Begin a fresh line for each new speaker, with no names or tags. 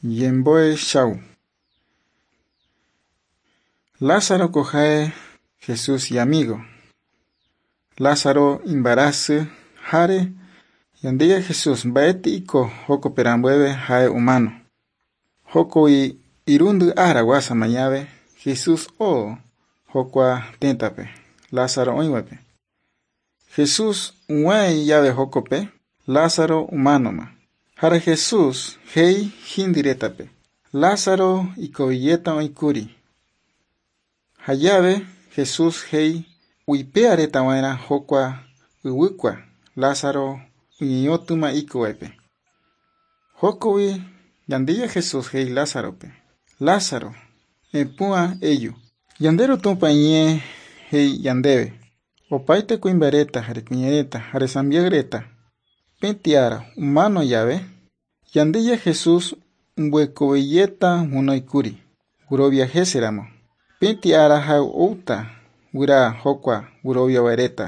Ñembo'e chau. Lázaro ko ha'e Jesús iamigo. Lázaro imbarasy jare Ñandejára Jesús mba'éteiko jokoperambuéve ha'e omano. Jokói irundy ára guasa mañave Jesús oo jokua tétape Lázaro oĩvape. Jesús og̃uahẽ jave jokope Lázaro omanóma. Jare Jesús he'i hindyretape Lázaro ikoviyéta oĩkuri. Jajave Jesús he'i oipe'aretava'erã jokua yvykua Lázaro oñeñotỹma ikovépe. Jokógui Ñandejára Jesús he'i Lázarope: Lázaro, epu'ã eju. Ñande Ru Tupã iñe'ẽ he'i ñandéve opaite kuimba'ereta jare kuñareta jare sambyareta peti ára omano jave Ñandejára Jesús ombohekoveyéta guinóikuri guerovia heséramo. Peti ára ha'e oúta guyra jokua gueroviavaereta.